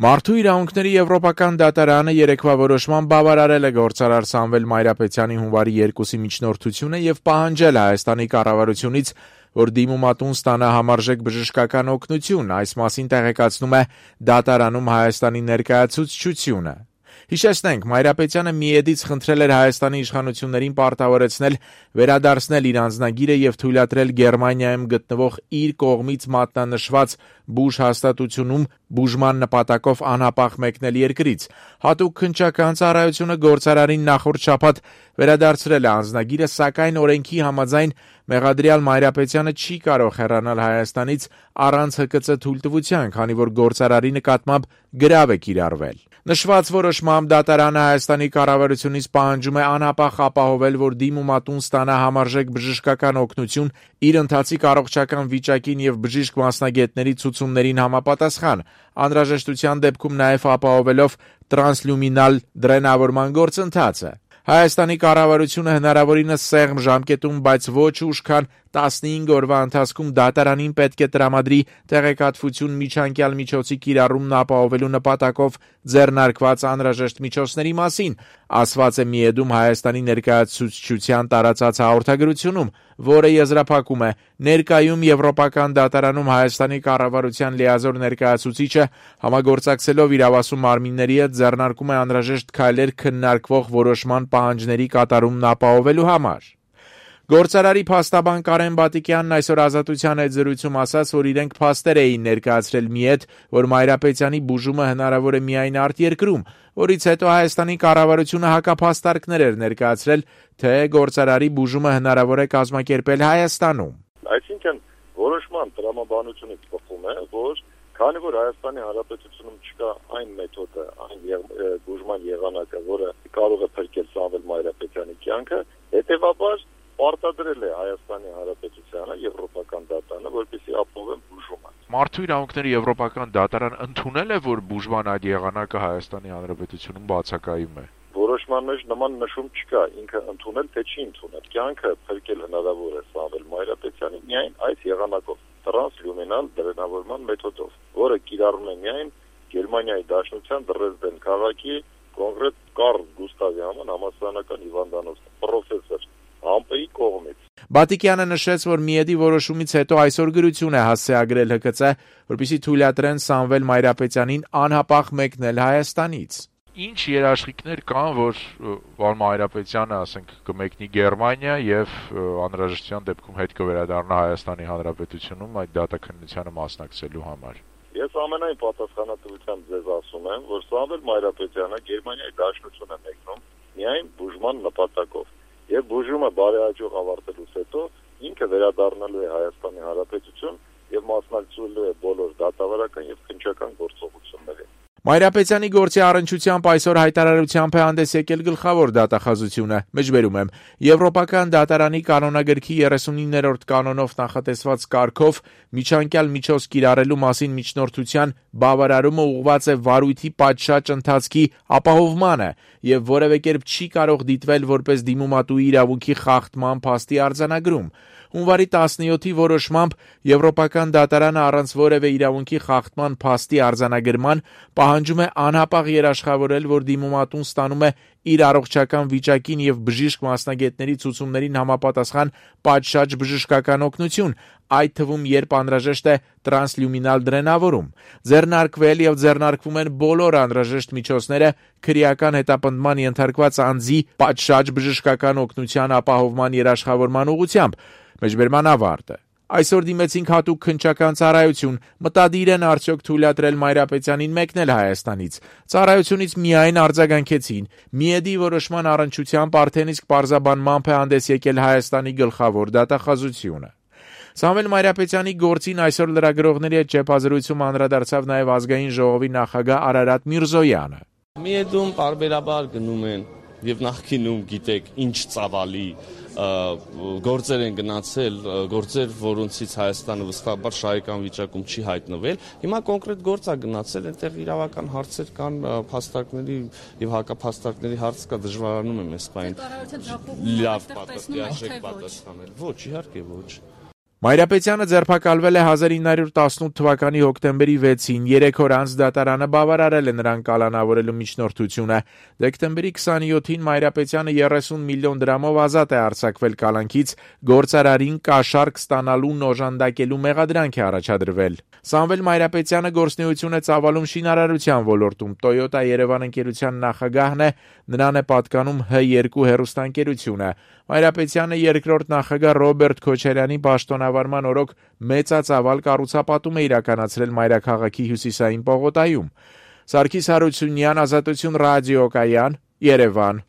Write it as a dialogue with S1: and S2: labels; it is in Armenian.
S1: Մարդու իրավունքների եվրոպական դատարանը երեկվա որոշմամբ բավարարել է գործարար Սամվել Մայրապետյանի հունվարի 2-ի միջնորդությունը եւ պահանջել Հայաստանի կառավարությունից, որ դիմումատուն ստանա համարժեք բժշկական օգնություն, այս մասին տեղեկացնում է դատարանում Հայաստանի ներկայացուցչությունը։ Հիշեցնենք, Մայրապետյանը միեդից խնդրել էր Հայաստանի իշխանություններին պարտավորեցնել վերադարձնել իր անձնագիրը եւ թույլատրել Գերմանիայում գտնվող իր կողմից մատնանշված բուժ հաստատությունում բուժման նպատակով անհապաղ մեկնել երկրից։ Հատուկ քննչական ծառայությունը գործարարին նախորդ շաբաթ վերադարձրել է անձնագիրը, սակայն օրենքի համաձայն մեղադրյալ Մայրապետյանը չի կարող հեռանալ Հայաստանից առանց ՀԿՑ թույլտվության, քանի որ գործարարի նկատմամբ գրավ է կիրառվել։ Նշված որոշմամբ դատարանը Հայաստանի կառավարությունից պահանջում է անհապաղ ապահովել, որ դիմումատուն ստանա համարժեք բժշկական օգնություն իր ընթացիկ առողջական վիճակին եւ բժիշկ մասնագետների ցուցումներին համապատասխան, անհրաժեշտության դեպքում նաեւ ապահովելով տրանսլյումինալ դրենավորման գործընթացը։ Հայաստանի կառավարությունը հնարավորինս սեղմ ժամկետում, բայց ոչ ուշ, քան 15 օրվա ընթացքում դատարանին պետք է տրամադրի տեղեկատվություն միջանկյալ միջոցի կիրառումն ապահովելու նպատակով ձեռնարկված անհրաժեշտ միջոցների մասին, ասված է միեդում Հայաստանի ներկայացուցչության տարածած հաղորդագրությունում, որը եզրափակում է ներկայում Եվրոպական դատարանում Հայաստանի կառավարության լիազոր ներկայացուցիչը համագործակցելով իրավասու մարմինների հետ ձեռնարկում է անհրաժեշտ քայլեր քննարկվող որոշման պահանջների կատարումն ապահովելու համար։ Գործարարի փաստաբան Կարեն Բատիկյանն այսօր Ազատության հետ զրույցում ասաց, որ իրենք փաստեր էին ներկայացրել միեդ, որ Մայրապետյանի բուժումը հնարավոր է միայն արտերկրում, որից հետո Հայաստանի կառավարությունը հակափաստարկներ էր ներկայացրել, թե գործարարի բուժումը հնարավոր է կազմակերպել Հայաստանում։
S2: Այսինքն որոշման տրամաբանությունից բխում է, որ քանի որ Հայաստանի Հանրապետությունում չկա այն մեթոդը, այն բուժման եղանակը, որը կարող է փրկել Սամվել Մայրապետյանի կյանքը, հետևաբար պարտադրել է Հայաստանի Հանրապետությանը Եվրոպական դատարանը, որպեսզի ապահովեն բուժումը։
S1: Մարդու իրավունքների Եվրոպական դատարան ընդունել է, որ բուժման այդ եղանակը Հայաստանի Հանրապետությունում բացակայում է։
S2: Որոշման մեջ նման նշում չկա, ինքը ընդունել թե չի ընդունել։ Կյանքը փրկել հնարավոր է Սամվել Մայրապետյանի միայն այս եղանակով, տրանսլյումինալ դրենավորման մեթոդով, որը կիրառում է միայն Գերմանիայի Դաշնության Դրեզդեն քաղաքի կոնկրետ Կարլ Գուստավի համալսարանական հիվանդանոց պրոֆեսոր Համպեի կողմից։
S1: Բատիկյանը նշեց, որ միեդի որոշումից հետո այսօր գրություն է հասցեագրել ՀԿՑ, որպեսզի թույլատրեն Սամվել Մայրապետյանին անհապաղ մեկնել Հայաստանից։ Ինչ երաշխիքներ կան, որ Մայրապետյանը, ասենք, կմեկնի Գերմանիա եւ անհրաժեշտության դեպքում հետ կվերադառնա Հայաստանի Հանրապետությունում այդ դատաքննությանը մասնակցելու համար։
S2: Ես ամենայն պատասխանատվությամբ ձեզ ասում եմ, որ Սամվել Մայրապետյանը Գերմանիայի Դաշնություն է մեկնում միայն բուժման նպատակով։ Եվ բուժումը բարեհաջող ավարտելուց հետո ինքը վերադառնալու է Հայաստանի Հանրապետություն եւ մասնակցելու է բոլոր դատավարական եւ քննչական գործողություններին։
S1: Մայրապետյանի գործի առնչությամբ այսօր հայտարարությամբ է հանդես եկել գլխավոր դատախազությունը։ Մեջբերում եմ, Եվրոպական դատարանի կանոնագրքի 39-րդ կանոնով նախատեսված կարգով միջանկյալ միջոց կիրառելու մասին միջնորդության բավարարումը ուղղված է վարույթի պատշաճ ընթացքի ապահովմանը եւ որևէ կերպ չի կարող դիտվել որպես դիմումատուի իրավունքի խախտման փաստի արձանագրում։ Հունվարի 17-ի որոշմամբ Եվրոպական դատարանը առանց որևէ իրավունքի խախտման փաստի արձանագրման պահանջում է անհապաղ երաշխավորել, որ դիմումատուն ստանում է իր առողջական վիճակին եւ բժիշկ մասնագետների ցուցումներին համապատասխան պատշաճ բժշկական օգնություն, այդ թվում երբ անհրաժեշտ է տրանսլյումինալ դրենավորում։ Ձեռնարկվել եւ ձեռնարկվում են բոլոր անհրաժեշտ միջոցները քրեական հետապնդման ենթարկված անձի պատշաճ բժշկական օգնության ապահովման երաշխավորման ուղղությամբ։ Մեջբերման ավարտը։ Այսօր դիմեցինք հատուկ քննչական ծառայություն, մտադիր են արդյոք թույլատրել Մայրապետյանին մեկնել Հայաստանից։ Ծառայությունից միայն արձագանքեցին։ Միեդի որոշման առնչությամբ արդեն իսկ պարզաբանմամբ է հանդես եկել Հայաստանի գլխավոր դատախազությունը։ Սամվել Մայրապետյանի գործին այսօր լրագրողների հետ ճեպազրույցում անդրադարձավ նաև Ազգային ժողովի նախագահ Արարատ Միրզոյանը։
S3: Միեդում պարբերաբար գնում են եւ նախկինում գիտեք ինչ ծավալի գործեր են գնացել, գործեր, որոնցից Հայաստանը վստահաբար շահեկան վիճակում չի հայտնվել։ Հիմա կոնկրետ գործ է գնացել, այնտեղ իրավական հարցեր կան, փաստարկների եւ հակափաստարկների հարց կա, դժվարանում է մեզ բային։ Լավ պատասխանել։ Ոչ, իհարկե ոչ։
S1: Մայրապետյանը ձերբակալվել է 1918 թվականի հոկտեմբերի 6-ին, 3 օր անց դատարանը բավարարել է նրան կալանավորելու միջնորդությունը։ Դեկտեմբերի 27-ին Մայրապետյանը 30 միլիոն դրամով ազատ է արձակվել կալանքից, գործարարին կաշառք ստանալու օժանդակելու մեղադրանք է առաջադրվել։ Սամվել Մայրապետյանը գործունեություն է ծավալում շինարարության ոլորտում, Toyota Երևան ընկերության նախագահն է, նրան է պատկանում H2 հեռուստաընկերությունը։ Մայրապետյանը երկրորդ նախագահ Ռոբերտ Քոչարյանի պաշտոնավարման օրոք մեծածավալ կառուցապատում է իրականացրել մայրաքաղաքի հյուսիսային պողոտայում։ Սարգիս Հարությունյան, Ազատություն ռադիոկայան, Երևան։